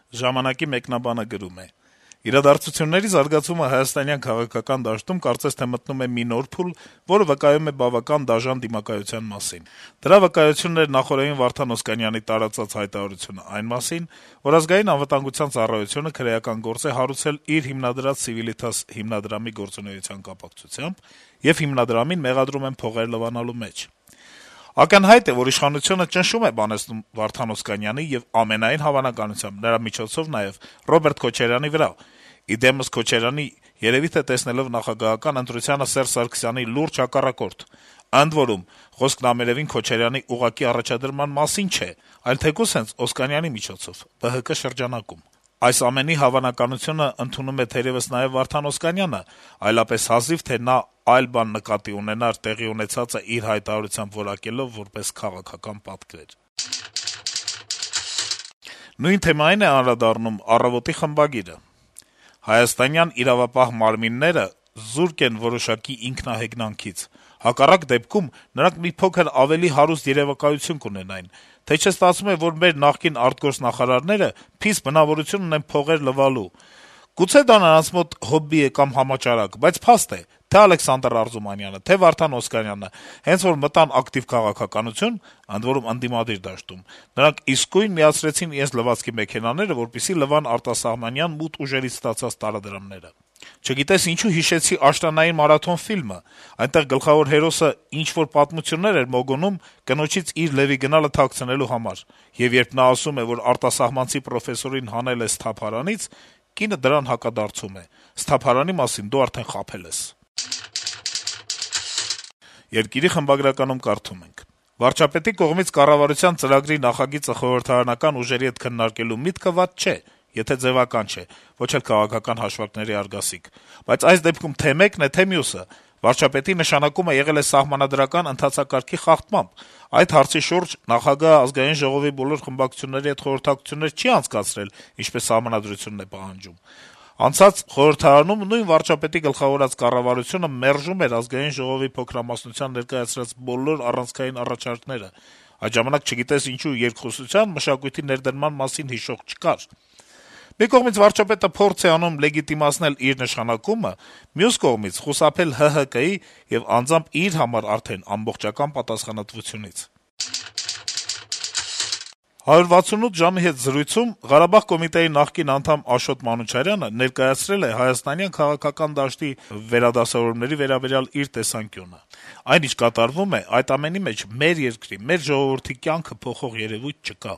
Ժամանակի մեկնաբանը գրում է. - «Իրադարձությունների զարգացումը հայաստանյան քաղաքական դաշտում կարծես թե մտնում է մի նոր փուլ, որը վկայում է բավական դաժան դիմակայության մասին: Դրա վկայությունն էր նախօրեին Վարդան Օսկանյանի տարածած հայտարարությունը այն մասին, որ Ազգային անվտանգության ծառայությունը քրեական գործ է հարուցել իր հիմնադրած Civitas հիմնադրամի գործունեության կապակցությամբ եւ հիմնադրամին մեղադրում են փողեր լվանալու մեջ: Ակնհայտ է, որ իշխանությունը ճնշում է բանեցնում Վարդան Օսկանյանի եւ ամենայն հավանականությամբ նրա միջոցով նաեւ Ռոբերտ Քոչարյանի վրա: Իդեմս Քոչարյանի, երեւի թե տեսնելով նախագահական ընտրությանը Սերժ Սարգսյանի լուրջ հակառակորդ: Ընդ որում, խոսքն ամենեւին Քոչարյանի ուղղակի առաջադրման մասին չէ, այլ թեկուզ հենց Օսկանյանի միջոցով ԲՀԿ շրջանակում: Այս ամենի հավանականությունը ընդունում է թերեւս նաեւ Վարդան Օսկանյանը, այլապես հազիվ թե նա այլ բան նկատի ունենար տեղի ունեցածը իր հայտարարությամբ որակելով որպես քաղաքական պատկեր»: Նույն թեմային է անդրադառնում «Առավոտ»-ի խմբագիրը. - «Հայաստանյան իրավապահ մարմինները զուրկ են որոշակի ինքնահեգնանքից: Հակառակ դեպքում նրանք մի փոքր ավելի հարուստ երեւակայություն կունենային: Թե չէ ստացվում է, որ մեր նախկին արտգործնախարարները փիս բնավորություն ունեն փողեր լվալու: Գուցե դա նրանց մոտ հոբբի է կամ համաճարակ, բայց փաստ է` թե' Ալեքսանդր Արզումանյանը, թե' Վարդան Օսկանյանը հենց որ մտան ակտիվ քաղաքականություն, ընդ որում ընդդիմադիր դաշտում, նրանք իսկույն միացրեցին իրենց լվացքի մեքենաները, որպեսզի լվան արտասահմանյան մութ ուժերից ստացած տարադրամները: Չգիտես ինչու հիշեցի «Աշնանային մարաթոն» ֆիլմը: Այնտեղ գլխավոր հերոսը ինչ-որ պատմություններ էր մոգոնում կնոջից իր լեւի գնալը թաքցնելու համար: Եվ երբ նա ասում է, որ արտասահմանցի պրոֆեսորին հանել է սթափարանից, կինը դրան հակադարձում է. «Սթափարանի մասին դու արդեն խաբել ես»: «Երկիր»-ի խմբագրականում կարդում ենք. - «Վարչապետի կողմից կառավարության ծրագրի նախագիծը խորհրդարանական ուժերի հետ քննարկելու միտքը վատ չէ, եթե ձեւական չէ, ոչ էլ քաղաքական հաշվարկների արգասիկ: Բայց այս դեպքում թե' մեկն է, թե' մյուսը: Վարչապետի նշանակումը եղել է սահմանադրական ընթացակարգի խախտմամբ: Այդ հարցի շուրջ նախագահը ԱԺ բոլոր խմբակցությունների հետ խորհրդակցություններ չի անցկացրել, ինչպես Սահմանադրությունն է պահանջում: Անցած խորհրդարանում նույն վարչապետի գլխավորած կառավարությունը մերժում էր ԱԺ փոքրամասնության ներկայացրած բոլոր առանցքային առաջարկները: Այդ ժամանակ չգիտես ինչու երկխոսության, մշակույթի ներդրման մասին հիշող չկար: Մի կողմից վարչապետը փորձ է անում լեգիտիմացնել իր նշանակումը, մյուս կողմից` խուսափել ՀՀԿ-ի եւ անձամբ իր համար արդեն ամբողջական պատասխանատվությունից»: «168 ժամ»-ի հետ զրույցում Ղարաբաղ կոմիտեի նախկին անդամ Աշոտ Մանուչարյանը ներկայացրել է հայաստանյան քաղաքական դաշտի վերադասավորումների վերաբերյալ իր տեսանկյունը. - «Այն, ինչ կատարվում է, այդ ամենի մեջ մեր երկրի, մեր ժողովրդի կյանքը փոխող երեւույթ չկա: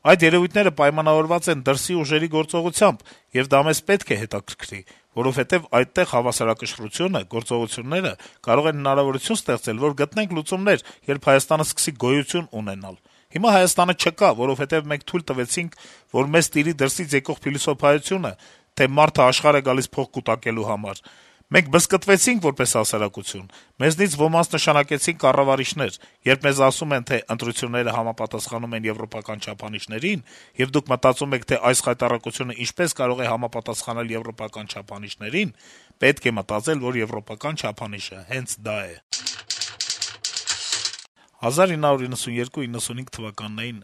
Այդ երեւույթները պայմանավորված են դրսի ուժերի գործողությամբ, եւ դա մեզ պետք է հետաքրքրի, որովհետեւ այդտեղ հավասարակշռությունը, գործողությունները կարող են հնարավորություն ստեղծել, որ գտնենք լուծումներ, երբ Հայաստանը սկսի գոյություն ունենալ: Հիմա Հայաստանը չկա, որովհետեւ մենք թույլ տվեցինք, որ մեզ տիրի դրսից եկող փիլիսոփայությունը, թե մարդը աշխարհ է գալիս փող կուտակելու համար: Մենք բզկտվեցինք որպես հասարակություն, մեզնից ոմանց նշանակեցին կառավարիչներ: Երբ մեզ ասում են, թե ընտրությունները համապատասխանում են եվրոպական չափանիշներին, եւ դուք մտածում եք, թե այս խայտառակությունը ինչպես կարող է համապատասխանել եվրոպական չափանիշներին, պետք է մտածել, որ եվրոպական չափանիշը հենց դա է»: 1992-95 թվականներին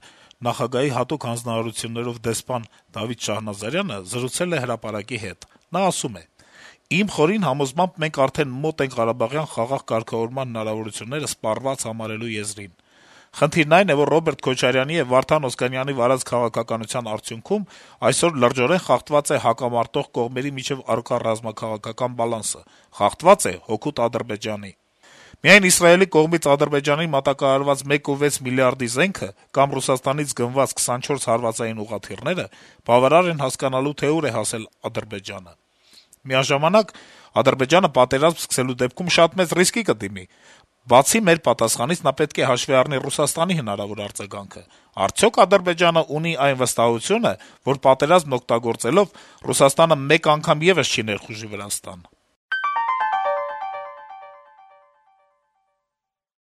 նախագահի հատուկ հանձնարարություններով դեսպան Դավիթ Շահնազարյանը զրուցել է «Հրապարակ»-ի հետ: Նա ասում է. - «Իմ խորին համոզմամբ մենք արդեն մոտ ենք ղարաբաղյան խաղաղ կարգավորման հնարավորությունները սպառված համարելու եզրին: Խնդիրն այն է, որ Ռոբերտ Քոչարյանի եւ Վարդան Օսկանյանի վարած քաղաքականության արդյունքում այսօր լրջորեն խախտված է հակամարտող կողմերի միջեւ առկա ռազմաքաղաքական բալանսը, խախտված է հօգուտ Ադրբեջանի: Միայն Իսրայելի կողմից Ադրբեջանին մատակարարված 1.6 միլիարդի զենքը կամ Ռուսաստանից գնված 24 հարվածային ուղղաթիռները բավարար են հասկանալու, թե ուր է հասել Ադրբեջանը: Միաժամանակ Ադրբեջանը պատերազմ սկսելու դեպքում շատ մեծ ռիսկի կդիմի: Բացի մեր պատասխանից նա պետք է հաշվի առնի Ռուսաստանի հնարավոր արձագանքը: Արդյո՞ք Ադրբեջանը ունի այն վստահությունը, որ պատերազմն օգտագործելով Ռուսաստանը մեկ անգամ եւս չի ներխուժի Վրաստան»: